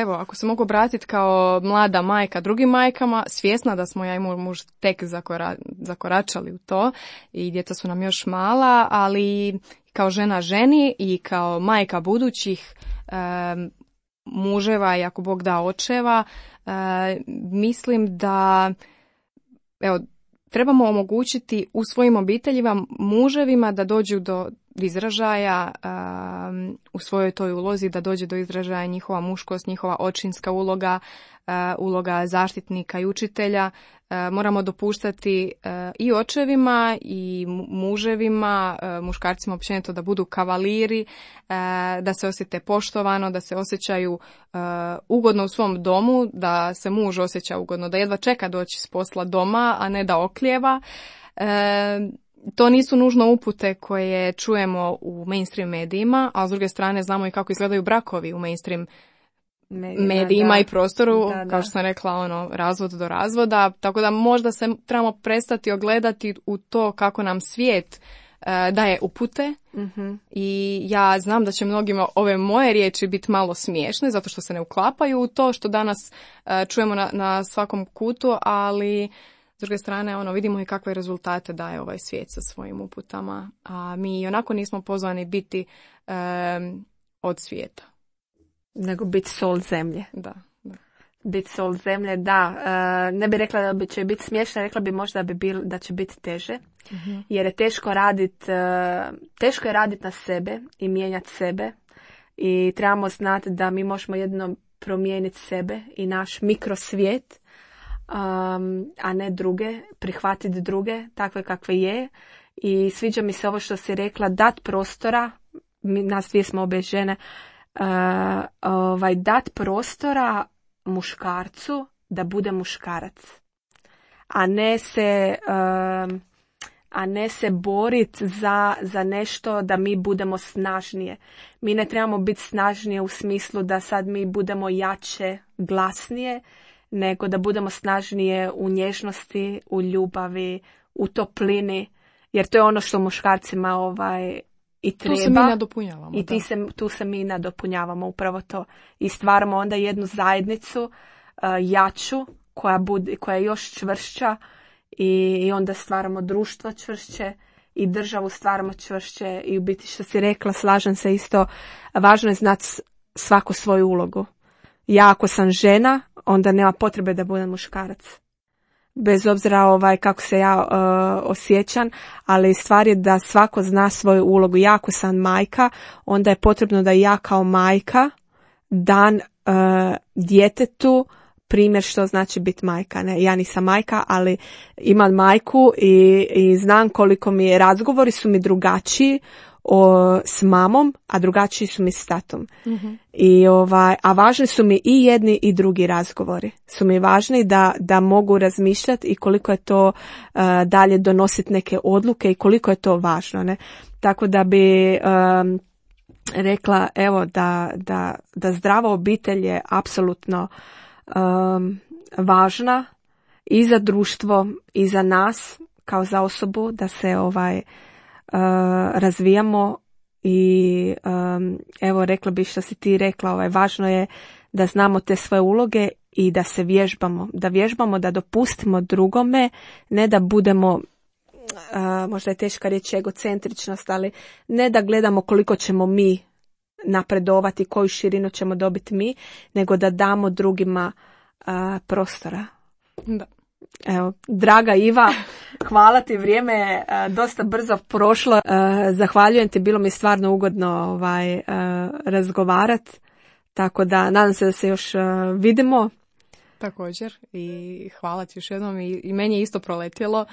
[SPEAKER 3] ako se mogu obratiti kao mlada majka drugim majkama, svjesna da smo ja i moj muž tek zakoračali u to i djeca su nam još mala, ali kao žena ženi i kao majka budućih muževa i ako Bog da očeva, mislim da trebamo omogućiti u svojim obiteljima muževima da dođu do izražaja u svojoj toj ulozi, da dođe do izražaja njihova muškost, njihova očinska uloga, uloga zaštitnika i učitelja. Moramo dopuštati i očevima i muževima, muškarcima općenito da budu kavaliri, da se osjete poštovano, da se osjećaju ugodno u svom domu, da se muž osjeća ugodno, da jedva čeka doći s posla doma, a ne da oklijeva. To nisu nužno upute koje čujemo u mainstream medijima, a s druge strane znamo i kako izgledaju brakovi u mainstream medijima i prostoru, kao što sam rekla, razvod do razvoda, tako da možda se trebamo prestati ogledati u to kako nam svijet daje upute. I ja znam da će mnogima ove moje riječi biti malo smiješne, zato što se ne uklapaju u to što danas čujemo na svakom kutu, ali s druge strane vidimo i kakve rezultate daje ovaj svijet sa svojim uputama, a mi onako nismo pozvani biti od svijeta.
[SPEAKER 2] Nego biti sol zemlje.
[SPEAKER 3] Da.
[SPEAKER 2] Biti sol zemlje, da. Ne bi rekla da će biti smiješno, rekla bi možda da će biti teže. Jer je teško je raditi na sebe i mijenjati sebe. I trebamo znati da mi možemo jedino promijeniti sebe i naš mikrosvijet, a ne druge, prihvatiti druge takve kakve je. I sviđa mi se ovo što si rekla, dat prostora, nas dvije smo obje žene, dat prostora muškarcu da bude muškarac, a ne se boriti za nešto da mi budemo snažnije. Mi ne trebamo biti snažnije u smislu da sad mi budemo jače, glasnije, nego da budemo snažnije u nježnosti, u ljubavi, u toplini, jer to je ono što muškarcima i treba.
[SPEAKER 3] Tu se mi nadopunjavamo.
[SPEAKER 2] I tu se mi nadopunjavamo, upravo to. I stvaramo onda jednu zajednicu jaču, koja je još čvršća, i onda stvaramo društvo čvršće i državu stvaramo čvršće. I u biti, što si rekla, slažem se isto, važno je znati svaku svoju ulogu. Ja ako sam žena, onda nema potrebe da budem muškarac. Bez obzira kako se ja osjećam, ali stvar je da svako zna svoju ulogu. Ja ako sam majka, onda je potrebno da ja kao majka dam djetetu primjer što znači biti majka. Ne? Ja nisam majka, ali imam majku i znam koliko razgovori su mi drugačiji s mamom, a drugačiji su mi s tatom. I a važni su mi i jedni i drugi razgovori. Su mi važni da mogu razmišljati i koliko je to dalje donositi neke odluke i koliko je to važno. Ne? Tako da bi rekla evo da zdrava obitelj je apsolutno važna i za društvo i za nas kao za osobu, da se razvijamo i evo rekla bih što si ti rekla, važno je da znamo te svoje uloge i da se vježbamo, da dopustimo drugome, ne da budemo možda je teška riječ egocentričnost, ali ne da gledamo koliko ćemo mi napredovati, koju širinu ćemo dobiti mi, nego da damo drugima prostora.
[SPEAKER 3] Da.
[SPEAKER 2] Evo, draga Iva, hvala ti, vrijeme je dosta brzo prošlo. Zahvaljujem ti, bilo mi stvarno ugodno razgovarati, tako da nadam se da se još vidimo.
[SPEAKER 3] Također i hvala ti još jednom i meni je isto proletjelo.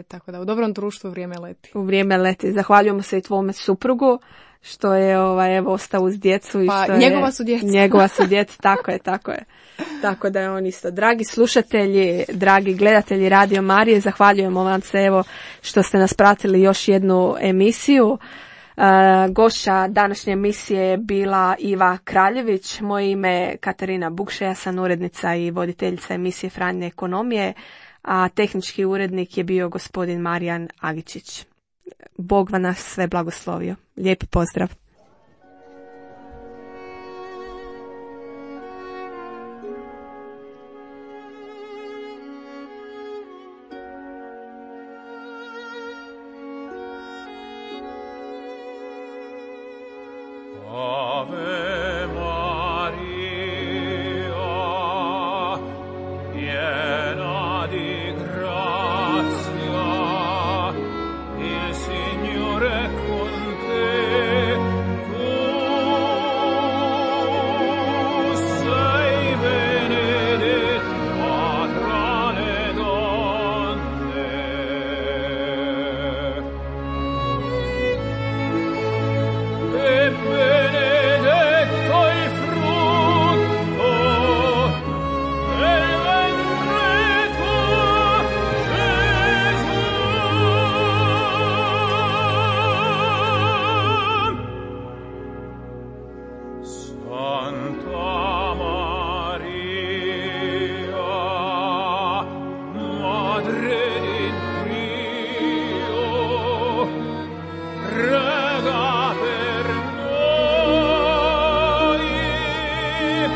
[SPEAKER 3] Tako da u dobrom društvu vrijeme leti.
[SPEAKER 2] U vrijeme leti. Zahvaljujemo se i tvome suprugu što je ostao uz djecu. I što
[SPEAKER 3] njegova su djeca.
[SPEAKER 2] Njegova su djeca, tako je. Tako da je on isto. Dragi slušatelji, dragi gledatelji Radio Marije, zahvaljujemo vam se što ste nas pratili još jednu emisiju. Gošća današnje emisije je bila Iva Kraljević, moje ime je Katarina Bukša, ja sam urednica i voditeljica emisije Franjine ekonomije, a tehnički urednik je bio gospodin Marijan Agičić. Bog vam nas sve blagoslovio. Lijepi pozdrav.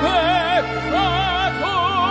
[SPEAKER 4] Peccato